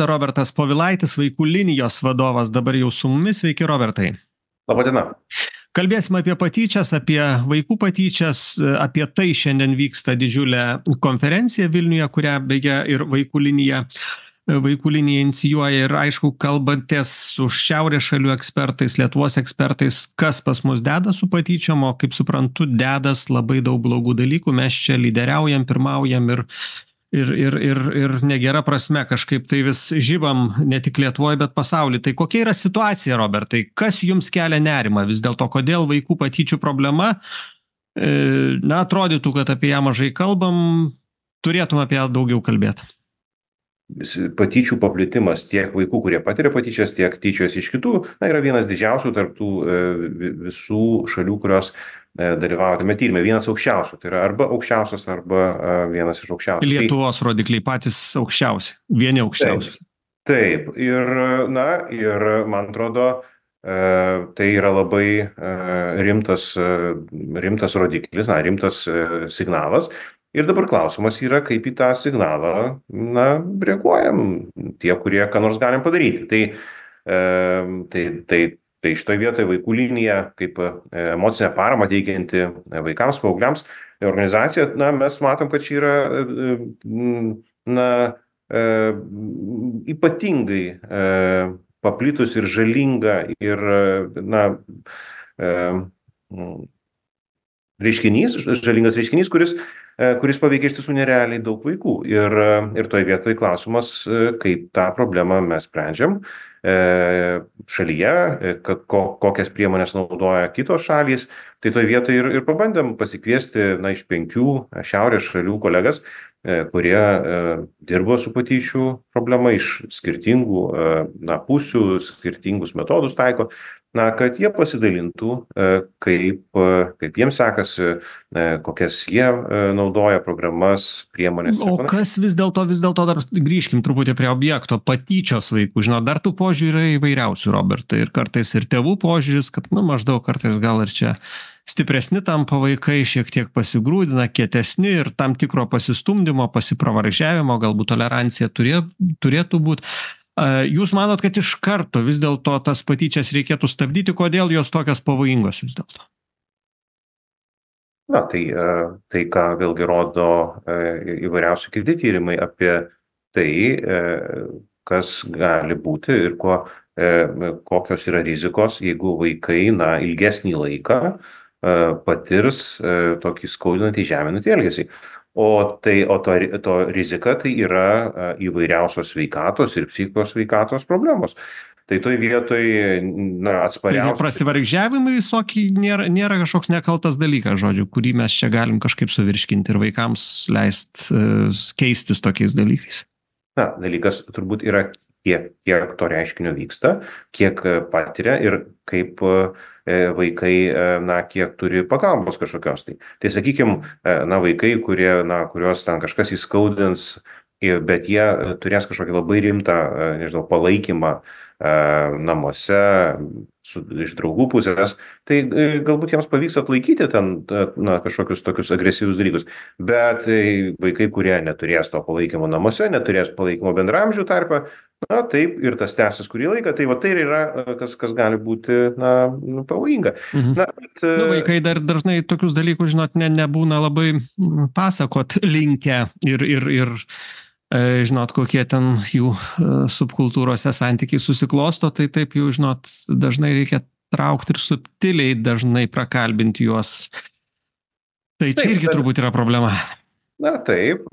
Robertas Povilaitis, vaikų linijos vadovas, dabar jau su mumis. Sveiki, Robertai. Laba diena. Kalbėsim apie patyčias, apie vaikų patyčias, apie tai šiandien vyksta didžiulė konferencija Vilniuje, kurią beje ir vaikų linija inicijuoja. Ir aišku, kalbanties su Šiaurės šalių ekspertais, Lietuvos ekspertais, kas pas mus deda su patyčiom, o kaip suprantu, dedas labai daug blogų dalykų. Mes čia lyderiaujam, pirmaujam ir negera prasme kažkaip tai vis žibam ne tik Lietuvoje, bet pasaulyje. Tai kokia yra situacija, Robertai? Kas jums kelia nerimą vis dėlto? Kodėl vaikų patyčių problema? Na, atrodytų, kad apie ją mažai kalbam, turėtum apie ją daugiau kalbėti. Patyčių paplitimas tiek vaikų, kurie patiria patyčias, tiek tyčios iš kitų, yra vienas didžiausių tarptų visų šalių, kurios dalyvauja tame tyrime, vienas aukščiausių, tai yra arba aukščiausias, arba vienas iš aukščiausių. Lietuvos rodikliai patys aukščiausi, vieni aukščiausi. Taip, ir man atrodo, tai yra labai rimtas rodiklis, rimtas signalas. Ir dabar klausimas yra, kaip į tą signalą, reaguojam tie, kurie ką nors galim padaryti. Tai šitoje vietoje vaikų linija, kaip emocinę paramą teikianti vaikams, paaugliams organizacija, mes matom, kad čia yra ypatingai paplitus ir žalinga ir žalingas reiškinys, kuris paveikia iš tiesų nerealiai daug vaikų. Ir toje vietoje klausimas, kaip tą problemą mes sprendžiam šalyje, kokias priemonės naudoja kitos šalys. Tai toje vietoje ir pabandėm pasikviesti iš 5 šiaurės šalių kolegas, kurie dirbo su patyčių problema iš skirtingų pusių, skirtingus metodus taiko, kad jie pasidalintų, kaip jiems sekasi, kokias jie naudoja programas, priemonės. O kas vis dėlto dar grįžkim truputį prie objekto, patyčios vaikų. Žinot, dar tų požiūrių yra įvairiausių, Robertai, ir kartais ir tėvų požiūris, kad maždaug kartais gal ir čia stipresni tampa vaikai, šiek tiek pasigrūdina, kietesni ir tam tikro pasistumdymo, pasipravaržiavimo, galbūt tolerancija turėtų būti. Jūs manot, kad iš karto vis dėlto tas patyčias reikėtų stabdyti, kodėl jos tokios pavojingos vis dėlto? Tai ką vėlgi rodo įvairiausi kiti tyrimai apie tai, kas gali būti ir kokios yra rizikos, jeigu vaikai ilgesnį laiką patirs tokį skaudinantį, žeminantį elgesį. O to rizika tai yra įvairiausios sveikatos ir psichikos sveikatos problemos. Tai toj vietoje atspariausia. Tai prasivargžiavimai visokiai nėra kažkoks nekaltas dalykas, žodžiu, kurį mes čia galim kažkaip suvirškinti ir vaikams leisti keistis tokiais dalykais. Dalykas turbūt yra, kiek to reiškinio vyksta, kiek patiria ir kaip vaikai, kiek turi pagalbos kažkokios. Tai sakykime, vaikai, kuriuos ten kažkas įskaudins, bet jie turės kažkokį labai rimtą, palaikymą namuose, iš draugų pusės, tai galbūt jiems pavyks atlaikyti ten kažkokius tokius agresyvius dalykus. Bet vaikai, kurie neturės to palaikymo namuose, neturės palaikymo bendraamžių tarpe, taip ir tas tęsis kurį laiką, tai yra kas gali būti pavojinga. Vaikai dar dažnai tokius dalykus, žinot, nebūna labai pasakot linkę ir žinot, kokie ten jų subkultūrose santykiai susiklosto, tai taip jau, žinot, dažnai reikia traukti ir subtiliai dažnai prakalbinti juos. Tai čia irgi turbūt yra problema. Taip.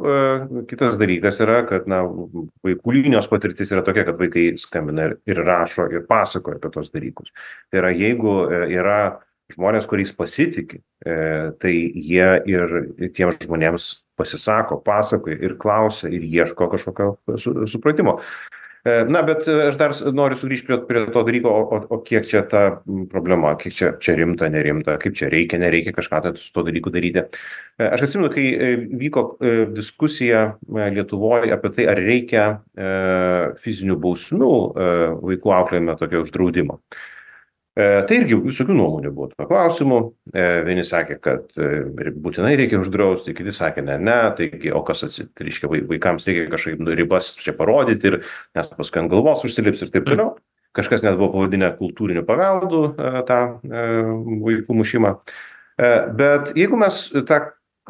Kitas dalykas yra, kad vaikų linijos patirtis yra tokia, kad vaikai skambina ir rašo ir pasakoja apie tos dalykus. Tai yra, jeigu yra žmonės, kuriais pasitiki, tai jie ir tiems žmonėms pasisako, pasakoja ir klausia ir ieško kažkokio supratimo. Bet aš dar noriu sugrįžti prie to dalyko, o kiek čia ta problema, kiek čia rimta, nerimta, kaip čia reikia, nereikia kažką su to dalyku daryti. Aš atsimenu, kai vyko diskusija Lietuvoje apie tai, ar reikia fizinių bausmių vaikų auklėjime tokio uždraudimo. Tai irgi visokių nuomonių buvo tuo klausimu. Vieni sakė, kad būtinai reikia uždrausti, kiti sakė, ne, taigi, o kas reiškia, vaikams reikia kažkaip ribas čia parodyti ir nes paskui ant galvos užsilips ir taip toliau. Kažkas net buvo pavadinę kultūriniu paveldu tą vaikų mušimą. Bet jeigu mes tą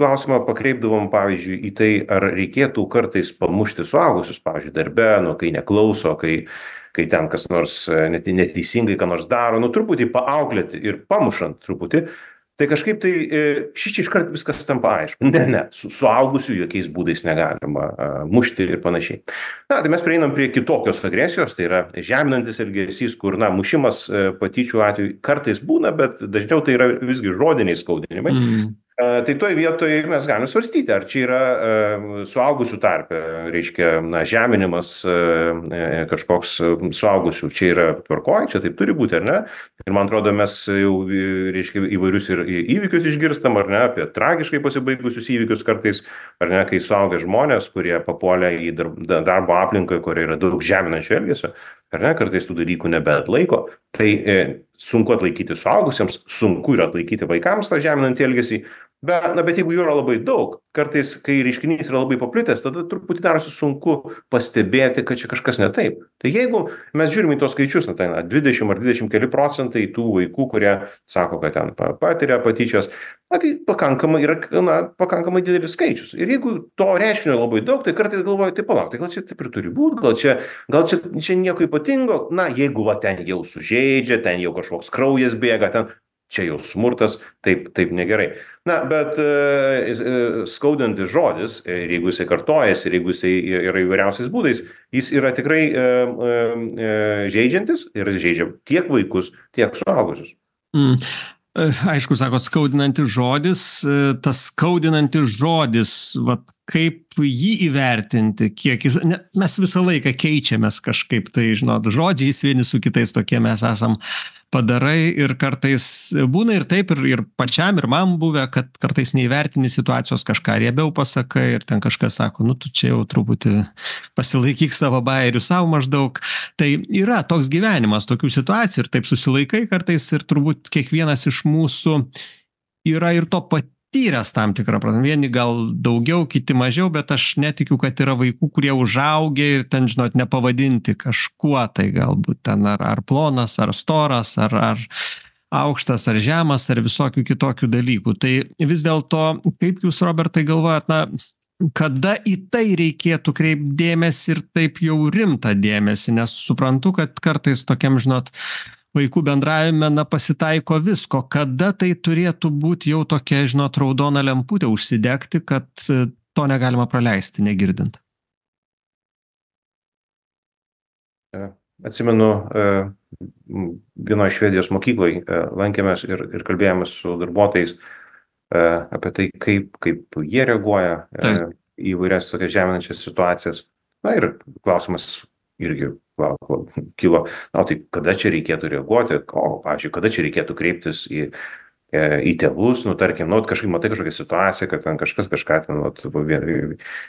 klausimą pakreipdavom, pavyzdžiui, į tai, ar reikėtų kartais pamušti suaugusius, pavyzdžiui, darbe, kai neklauso, kai ten kas nors neteisingai ką nors daro, truputį paauklėti ir pamušant truputį, tai kažkaip tai iškart viskas tampa aišku. Ne, suaugusių jokiais būdais negalima mušti ir panašiai. Tai mes prieinam prie kitokios agresijos, tai yra žeminantis elgesys, kur, mušimas patyčių atveju kartais būna, bet dažniau tai yra visgi žodiniai skaudinimai. Tai toj vietoje mes galim svarstyti, ar čia yra suaugusių tarpe, reiškia, žeminimas kažkoks suaugusių, čia yra tvarkoj, čia taip turi būti, ar ne? Ir man atrodo, mes jau, reiškia, įvairius ir įvykius išgirstam, ar ne, apie tragiškai pasibaigusius įvykius kartais, ar ne, kai suaugę žmonės, kurie papuolė į darbo aplinką, kur yra daug žeminančio elgesio, ar ne, kartais tų dalykų nebeatlaiko, tai sunku atlaikyti suaugusiems, sunku yra atlaikyti vaikams tą žeminantį elgesį, bet jeigu jų yra labai daug, kartais, kai reiškinys yra labai paplitęs, tada truputį darosi sunku pastebėti, kad čia kažkas ne taip. Tai jeigu mes žiūrime į tos skaičius, 20 ar 20 keli procentai tų vaikų, kurie sako, kad ten patiria patyčias, tai pakankamai yra pakankamai didelis skaičius. Ir jeigu to reiškinio labai daug, tai kartais galvoju, tai palauk, tai gal čia taip ir turi būti, gal čia nieko ypatingo, jeigu ten jau sužeidžia, ten jau kažkoks kraujas bėga, ten čia jau smurtas, taip negerai. Bet skaudantis žodis, ir jeigu jisai kartojasi, ir jeigu jisai yra įvairiausiais būdais, jis yra tikrai žeidžiantis ir žeidžia tiek vaikus, tiek suaugusius. Aišku, sakot, skaudinantis žodis, tas skaudinantis žodis, kaip jį įvertinti, kiek jis, mes visą laiką keičiamės kažkaip, tai, žodžiais vieni su kitais tokie mes esam padarai ir kartais būna ir taip, ir pačiam, ir man buvę, kad kartais neįvertini situacijos, kažką riebiau pasakai ir ten kažkas sako, tu čia jau truputį pasilaikyk savo bajerių savo maždaug. Tai yra toks gyvenimas, tokių situacijų ir taip susilaikai kartais ir turbūt kiekvienas iš mūsų yra ir to patyręs tam tikrą prasme. Vieni gal daugiau, kiti mažiau, bet aš netikiu, kad yra vaikų, kurie užaugę ir ten, nepavadinti kažkuo, tai galbūt ten ar plonas, ar storas, ar aukštas, ar žemas, ar visokių kitokių dalykų. Tai vis dėlto, kaip jūs, Robertai, galvojat, kada į tai reikėtų kreipti dėmesį ir taip jau rimtą dėmesį, nes suprantu, kad kartais tokiam, vaikų bendravime pasitaiko visko. Kada tai turėtų būti jau tokia, raudona lemputė užsidegti, kad to negalima praleisti, negirdint? Atsimenu, vienoje Švedijos mokykloje lankėmės ir kalbėjomės su darbuotojais apie tai, kaip jie reaguoja į įvairias tokias žeminančias situacijas. Ir klausimas irgi kilo, tai kada čia reikėtų reaguoti, pavyzdžiui, kada čia reikėtų kreiptis į tėvus, tarkim, kažkaip matai kažkokią situaciją, kad ten kažkas kažką ten,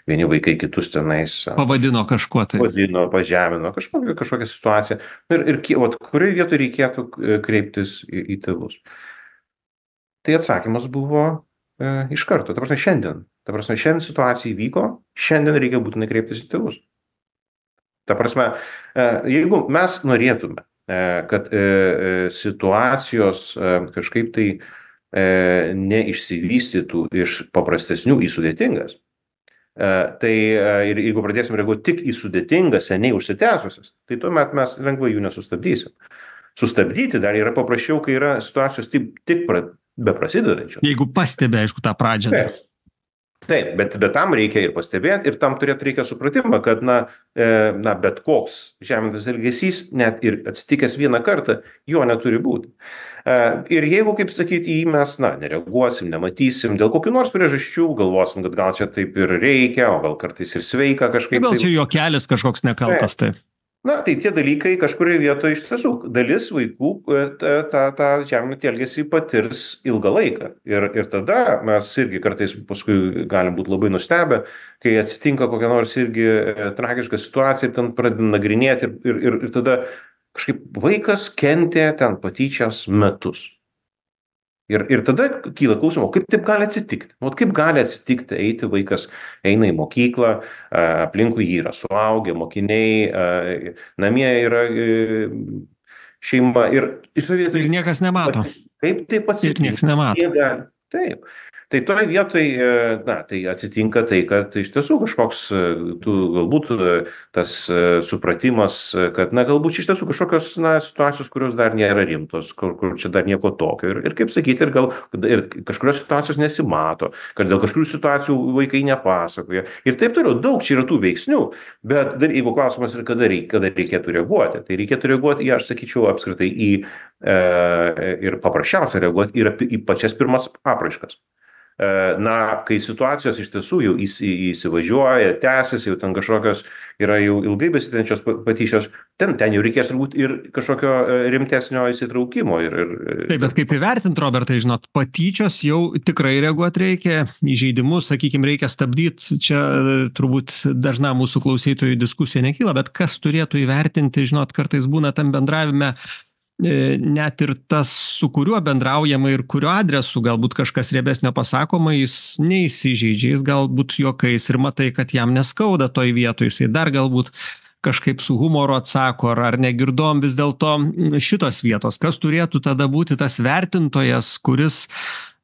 vieni vaikai kitus tenais pavadino kažkuo tai. Pavadino, pažemino, kažkokią situaciją. Ir kurioje vietoje reikėtų kreiptis į tėvus. Tai atsakymas buvo iš karto, šiandien situacija įvyko, šiandien reikia būtinai kreiptis į tėvus. Ta prasme, jeigu mes norėtume, kad situacijos kažkaip tai neišsivystytų iš paprastesnių į sudėtingas, tai ir jeigu pradėsim reaguoti tik į sudėtingas, seniai užsitęsusias, tai tuomet mes lengvai jų nesustabdysim. Sustabdyti dar yra paprasčiau, kai yra situacijos tik beprasidedančios. Jeigu pastebi, aišku, tą pradžią. Taip, bet tam reikia ir pastebėti, ir tam reikia supratimą, kad bet koks žeminantis elgesys, net ir atsitikęs vieną kartą, jo neturi būti. Ir jeigu, kaip sakyti, mes nereaguosim, nematysim, dėl kokių nors priežasčių, galvosim, kad gal čia taip ir reikia, o gal kartais ir sveika kažkaip. Gal čia juokelis kažkoks nekaltas, taip. Tai tie dalykai kažkurioje vietoje iš tiesų dalis vaikų tą žeminantį elgesį patirs ilgą laiką. Ir tada mes irgi kartais paskui galim būti labai nustebę, kai atsitinka kokia nors irgi tragiška situacija ir ten pradedam nagrinėti ir tada kažkaip vaikas kentė ten patyčias metus. Ir tada kyla klausimų, kaip taip gali atsitikti? Kaip gali atsitikti, eiti vaikas eina į mokyklą, aplinkui jį yra suaugę, mokiniai, namie yra šeima Ir niekas nemato. Kaip taip Ir atsitinka? niekas nemato. Taip. Tai toje vietoje, tai atsitinka tai, kad iš tiesų kažkoks, galbūt tas supratimas, kad, galbūt iš tiesų kažkokios, situacijos, kurios dar nėra rimtos, kur čia dar nieko tokio. Ir kaip sakyti, ir kažkurios situacijos nesimato, kad dėl kažkurių situacijų vaikai nepasakoja. Ir taip toliau, daug čia yra tų veiksnių, bet dar jeigu klausimas yra, kada reikėtų reaguoti, tai reikėtų reaguoti, aš sakyčiau, apskritai ir paprasčiausia reaguoti į pačias pirmas apraiškas. Kai situacijos iš tiesų jau įsivažiuoja, tęsiasi, jau ten kažkokios yra jau ilgai besitęsiančios patyčios, ten jau reikės turbūt ir kažkokio rimtesnio įsitraukimo. Taip, bet kaip įvertinti, Robertai, žinot, patyčios jau tikrai reaguoti reikia, įžeidimus, sakykime, reikia stabdyti, čia turbūt dažna mūsų klausytojų diskusija nekyla, bet kas turėtų įvertinti, žinot, kartais būna tam bendravime net ir tas, su kuriuo bendraujama ir kurio adresu galbūt kažkas riebesnio pasakoma, jis neįsižeidžia, jis galbūt juokais ir matai, kad jam neskauda toj vietoj, jisai dar galbūt kažkaip su humoru atsako, ar negirdom vis dėlto šitos vietos, kas turėtų tada būti tas vertintojas, kuris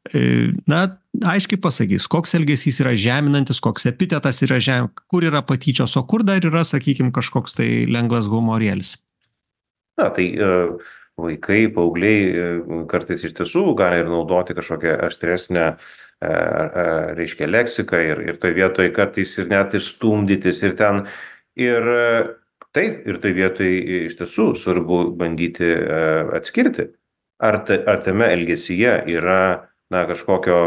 aiškiai pasakys, koks elgesys yra žeminantis, koks epitetas yra kur yra patyčios, o kur dar yra, sakykime, kažkoks tai lengvas humorėlis. Vaikai, paaugliai kartais iš tiesų gali ir naudoti kažkokią aštresnę, reiškia, leksiką ir toj vietoj kartais ir net ir stumdytis ir ten. Ir taip, ir toj vietoj iš tiesų svarbu bandyti atskirti, ar tame elgesyje yra kažkokio,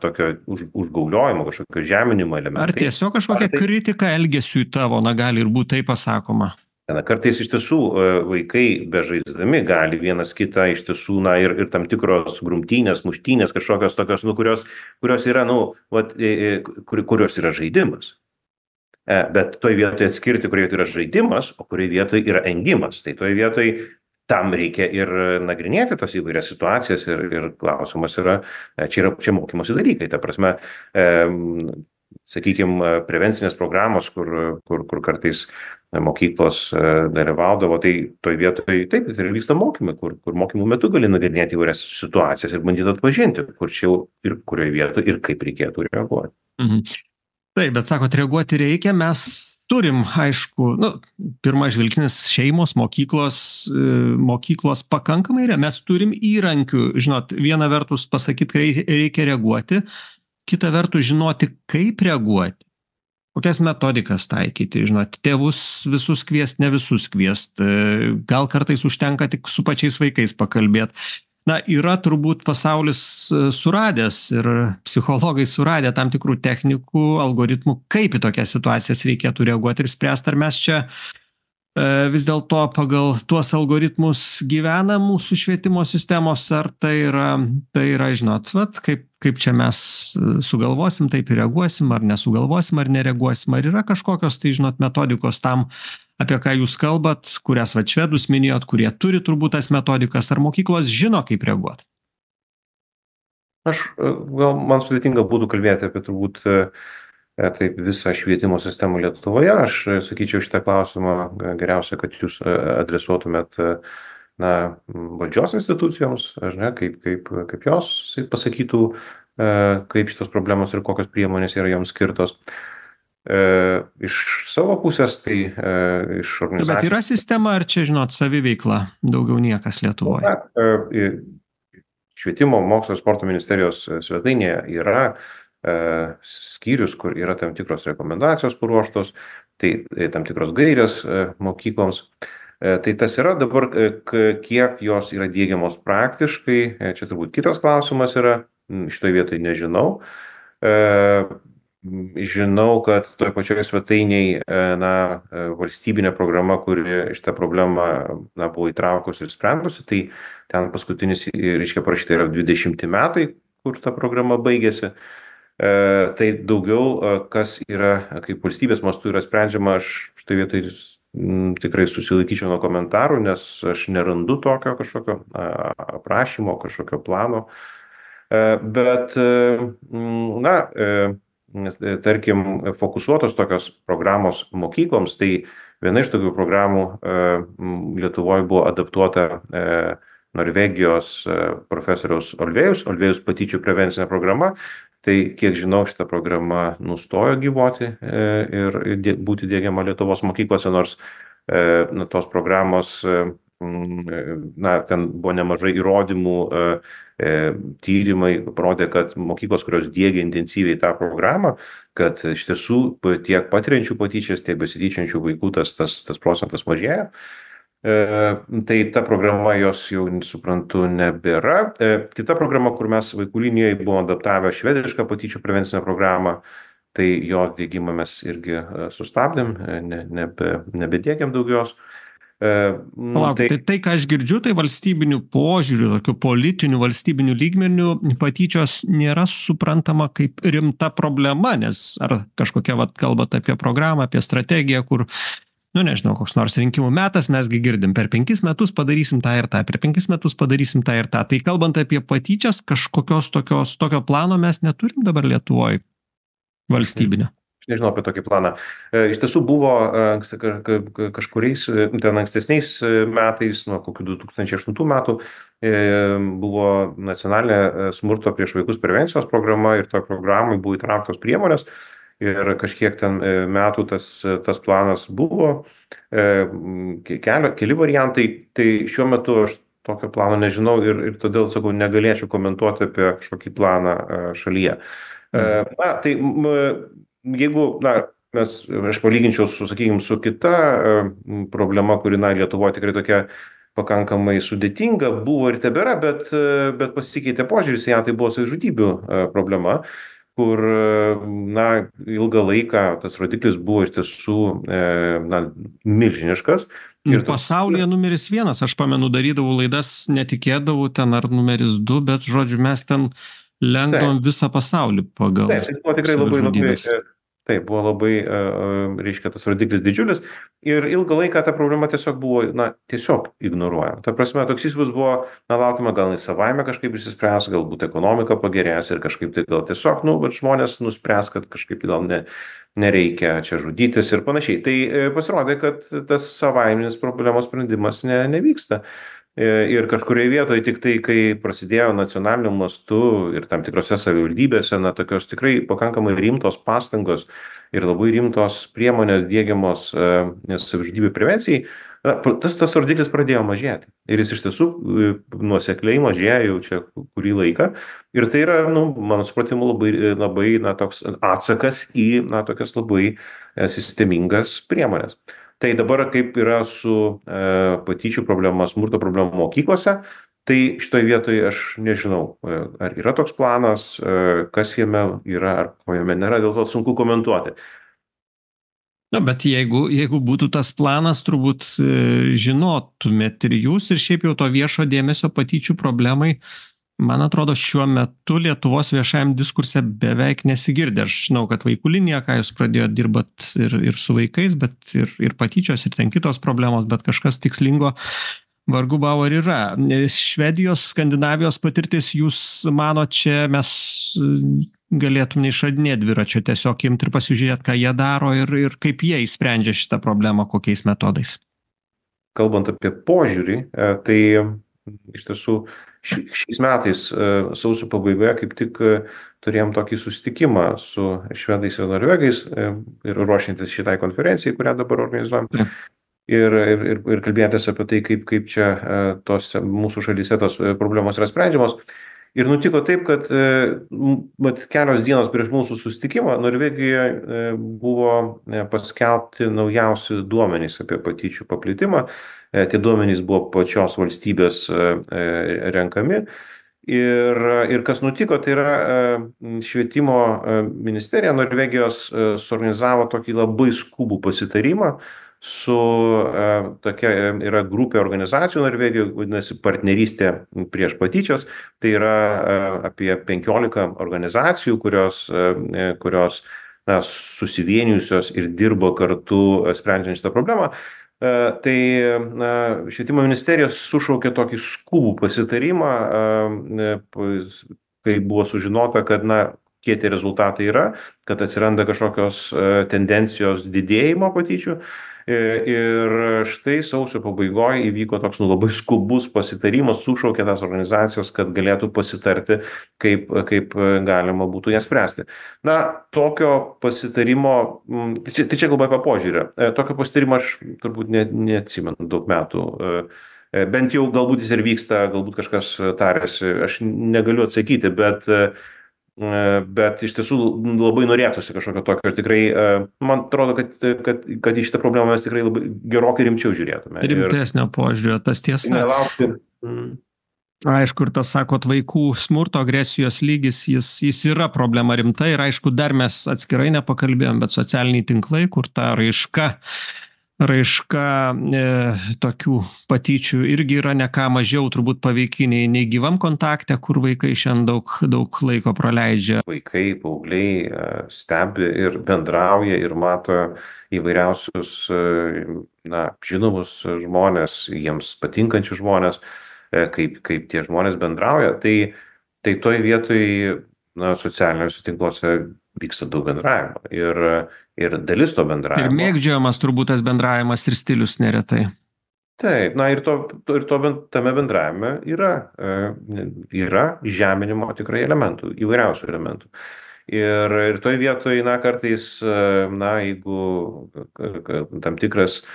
tokio užgauliojimo, kažkokio žeminimo elementai. Ar tiesiog kažkokia kritika elgesiui tavo, gali ir būti tai pasakoma. Kartais iš tiesų vaikai bežaisdami gali vienas kitą iš tiesų, ir tam tikros grumtynės, muštynės, kažkokios tokios, kurios yra, kurios yra žaidimas. Bet toj vietoje atskirti, kurioje yra žaidimas, o kurioje vietoje yra engimas. Tai toj vietoje tam reikia ir nagrinėti tas įvairias situacijas ir klausimas yra, čia mokymosi dalykai. Ta prasme, sakykime, prevencinės programos, kur kartais mokyklos dalyvaudavo, tai toj vietoje taip, tai vyksta mokymai, kur mokymų metu gali nagrinėti įvairias situacijas ir bandyti atpažinti, kur čia ir kurioje vietoje ir kaip reikėtų reaguoti. Taip, bet sakot, reaguoti reikia, mes turim, aišku, pirmas žvilgsnis šeimos, mokyklos pakankamai, mes turim įrankių, žinot, viena vertus pasakyti, reikia reaguoti, kita vertus žinoti, kaip reaguoti. Kokias metodikas taikyti, žinot, tėvus visus kviest, ne visus kviest, gal kartais užtenka tik su pačiais vaikais pakalbėti. Yra turbūt pasaulis suradęs ir psichologai suradę tam tikrų technikų, algoritmų, kaip į tokias situacijas reikėtų reaguoti ir spręsti, ar mes čia vis dėlto pagal tuos algoritmus gyvena mūsų švietimo sistemos, ar tai yra, žinot, kaip čia mes sugalvosim, taip ir reaguosim, ar nesugalvosim, ar nereaguosim, ar yra kažkokios, tai žinot, metodikos tam, apie ką jūs kalbat, kurias švedus minėjot, kurie turi turbūt tas metodikas, ar mokyklos žino, kaip reaguoti? Man sudėtinga būtų kalbėti apie turbūt taip visą švietimo sistemą Lietuvoje. Aš sakyčiau šitą klausimą geriausia, kad jūs adresuotumėt valdžios institucijoms, kaip jos pasakytų, kaip šitos problemos ir kokios priemonės yra joms skirtos. Iš savo pusės, tai iš organizacijos. Bet yra sistema, ar čia, žinot, saviveikla daugiau niekas Lietuvoje? Švietimo, mokslo ir sporto ministerijos svetainėje yra skyrius, kur yra tam tikros rekomendacijos paruoštos, tai tam tikros gairės mokykloms. Tai tas yra dabar, kiek jos yra diegiamos praktiškai, čia turbūt kitas klausimas yra, šitoje vietoje nežinau. Žinau, kad toje pačioje svetainėje valstybinė programa, kuri šitą problemą buvo įtraukusi ir sprendusi, tai ten paskutinis, reiškia, parašyta yra 20 metai, kur ta programa baigėsi. Tai daugiau, kas yra, kaip valstybės mastu yra sprendžiama, aš štai vietoj tikrai susilaikyčiau nuo komentarų, nes aš nerandu tokio kažkokio aprašymo, kažkokio plano. Bet, na, tarkim, fokusuotos tokios programos mokykloms, tai viena iš tokių programų Lietuvoje buvo adaptuota Norvegijos profesoriaus Olvėjus patyčių prevencinė programa. Tai, kiek žinau, šita programa nustojo gyvuoti ir būti diegiama Lietuvos mokyklose, nors tos programos, ten buvo nemažai įrodymų, tyrimai parodė, kad mokyklos, kurios diegia intensyviai tą programą, kad iš tiesų tiek patiriančių patyčias, tiek besityčiančių vaikų tas procentas mažėja. Tai ta programa jos jau, suprantu, nebėra. Kita programa, kur mes vaikų linijoje buvome adaptavę švedišką patyčių prevencinę programą, tai jo diegimą mes irgi sustabdėm, nebediegiam daugiau jos. Tai, ką aš girdžiu, tai valstybinių požiūrių, tokių politinių valstybinių lygmenių patyčios nėra suprantama kaip rimta problema, nes ar kažkokia, kalbat apie programą, apie strategiją, kur nežinau, koks nors rinkimų metas, mesgi girdim, per 5 metus padarysim tą ir tą, per 5 metus padarysim tą ir tą. Tai kalbant apie patyčias, kažkokios tokio plano mes neturim dabar Lietuvoje valstybinio. Aš nežinau apie tokį planą. Iš tiesų buvo kažkuriais ten ankstesniais metais, nuo kokių 2008 metų, buvo nacionalinė smurto prieš vaikus prevencijos programa ir to programai buvo įtrauktos priemonės. Ir kažkiek ten metų tas planas buvo, keli variantai, tai šiuo metu aš tokio plano nežinau ir todėl, sakau, negalėčiau komentuoti apie kažkokį planą šalyje. Tai jeigu, aš palyginčiau su kita problema, kuri Lietuvoje tikrai tokia pakankamai sudėtinga buvo ir tebėra, bet pasikeitė požiūris į ją, tai buvo savižudybių problema, kur, ilgą laiką tas rodiklis buvo iš tiesų, milžiniškas. Ir pasaulyje numeris 1, aš pamenu, darydavau laidas, netikėdavau ten ar numeris 2, bet, žodžiu, mes ten lenkdavom visą pasaulį pagal. Taip, tai buvo tikrai labai, taip, buvo labai, reiškia, tas rodiklis didžiulis ir ilgą laiką ta problema tiesiog buvo, tiesiog ignoruojama. Ta prasme, toks įspūdis buvo, laukime, gal jis savaime kažkaip išsispręs, galbūt ekonomika pagerės ir kažkaip tai gal tiesiog, žmonės nuspręs, kad kažkaip gal nereikia čia žudytis ir panašiai. Tai pasirodė, kad tas savaiminis problemos sprendimas nevyksta. Ir kažkurioje vietoje tik tai, kai prasidėjo nacionaliniu mastu ir tam tikrose savivaldybėse, tokios tikrai pakankamai rimtos pastangos ir labai rimtos priemonės diegiamos savižudybių prevencijai, tas rodiklis pradėjo mažėti. Ir jis iš tiesų nuosekliai mažėja jau čia kurį laiką. Ir tai yra, mano supratimu, labai toks atsakas į tokias labai sistemingas priemonės. Tai dabar kaip yra su patyčių problema, smurto problema mokyklose, tai šitoje vietoje aš nežinau, ar yra toks planas, kas jame yra, ar ko jame nėra, dėl to sunku komentuoti. Bet jeigu būtų tas planas, turbūt žinotumėt ir jūs, ir šiaip jau to viešo dėmesio patyčių problemai, man atrodo, šiuo metu Lietuvos viešajam diskurse beveik nesigirdi. Aš žinau, kad vaikų linija, ką jūs pradėjot dirbat ir su vaikais, bet ir patyčios, ir ten kitos problemos, bet kažkas tikslingo vargu bau ar yra. Švedijos, Skandinavijos patirtis, jūs manot, čia mes galėtum neišradinėti dviračio, tiesiog imti ir pasižiūrėti, ką jie daro ir kaip jie išsprendžia šitą problemą, kokiais metodais? Kalbant apie požiūrį, tai iš tiesų šiais metais sausio pabaigoje kaip tik turėjom tokį susitikimą su švedais ir norvegais ir ruošiantis šitai konferencijai, kurią dabar organizuojam. Ir kalbėtis apie tai, kaip čia mūsų šalyse tos problemos yra sprendžiamos. Ir nutiko taip, kad kelios dienos prieš mūsų susitikimą Norvegijoje buvo paskelbti naujausi duomenys apie patyčių paplitimą. Tie duomenys buvo pačios valstybės renkami. Ir kas nutiko, tai yra švietimo ministerija Norvegijos suorganizavo tokį labai skubų pasitarimą su tokia yra grupė organizacijų Norvegijoje, vadinasi partnerystė prieš patyčias. Tai yra apie 15 organizacijų, kurios susivienijusios ir dirbo kartu sprendžiant šitą problemą. Tai švietimo ministerija sušaukė tokį skubų pasitarimą, kai buvo sužinota, kad kokie tie rezultatai yra, kad atsiranda kažkokios tendencijos didėjimo patyčių. Ir štai sausio pabaigoje įvyko toks labai skubus pasitarimas, sušaukė tas organizacijos, kad galėtų pasitarti, kaip galima būtų jas spręsti. Tokio pasitarimo, tai čia kalba apie požiūrį, tokio pasitarimo aš turbūt neatsimenu daug metų. Bent jau galbūt jis ir vyksta, galbūt kažkas tarėsi, aš negaliu atsakyti, bet iš tiesų labai norėtųsi kažkokio tokio ir tikrai, man atrodo, kad į šitą problemą mes tikrai labai gerokai rimčiau žiūrėtume. Rimtesnio požiūrio, tas tiesa. Nelaukti. Aišku, ir tas, sakot, vaikų smurto agresijos lygis, jis yra problema rimta ir aišku, dar mes atskirai nepakalbėjom, bet socialiniai tinklai, kur ta raiška tokių patyčių irgi yra ne ką mažiau turbūt paveikiniai nei gyvam kontakte, kur vaikai šiandien daug laiko praleidžia. Vaikai, paaugliai stebi ir bendrauja ir mato įvairiausius žinomus žmonės, jiems patinkančius žmonės, kaip tie žmonės bendrauja. Tai toj vietoj socialiniuose tinkluose vyksta daug bendravimo ir dalis to bendravimo. Ir mėgdžiojamas turbūt tas bendravimas ir stilius neretai. Taip, tame bendravime yra žeminimo tikrai elementų, įvairiausių elementų. Ir toj vietoj, kartais, jeigu tam tikras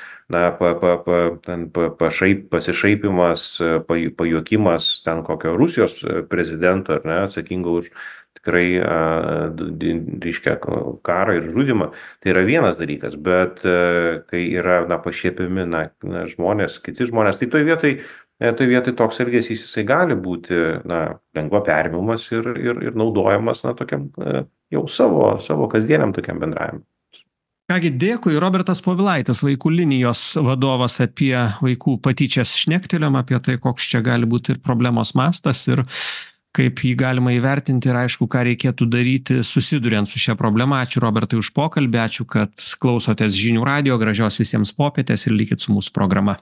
pasišaipimas, pajuokimas ten kokio Rusijos prezidento, atsakingo už tikrai reiškia karą ir žudymą, tai yra vienas dalykas, bet kai yra pašiepiami žmonės, kiti žmonės, tai toj vietoj toks elgesys jisai gali būti lengva perimimas ir naudojamas tokiam jau savo kasdieniam tokiam bendravimui. Kągi, dėkui. Robertas Povilaitis, vaikų linijos vadovas, apie vaikų patyčias šnektelėjom, apie tai, koks čia gali būti ir problemos mastas ir kaip jį galima įvertinti ir aišku, ką reikėtų daryti susiduriant su šia problema. Ačiū Robertai už pokalbį, ačiū, kad klausotės Žinių radijo, gražios visiems popietės ir likit su mūsų programa.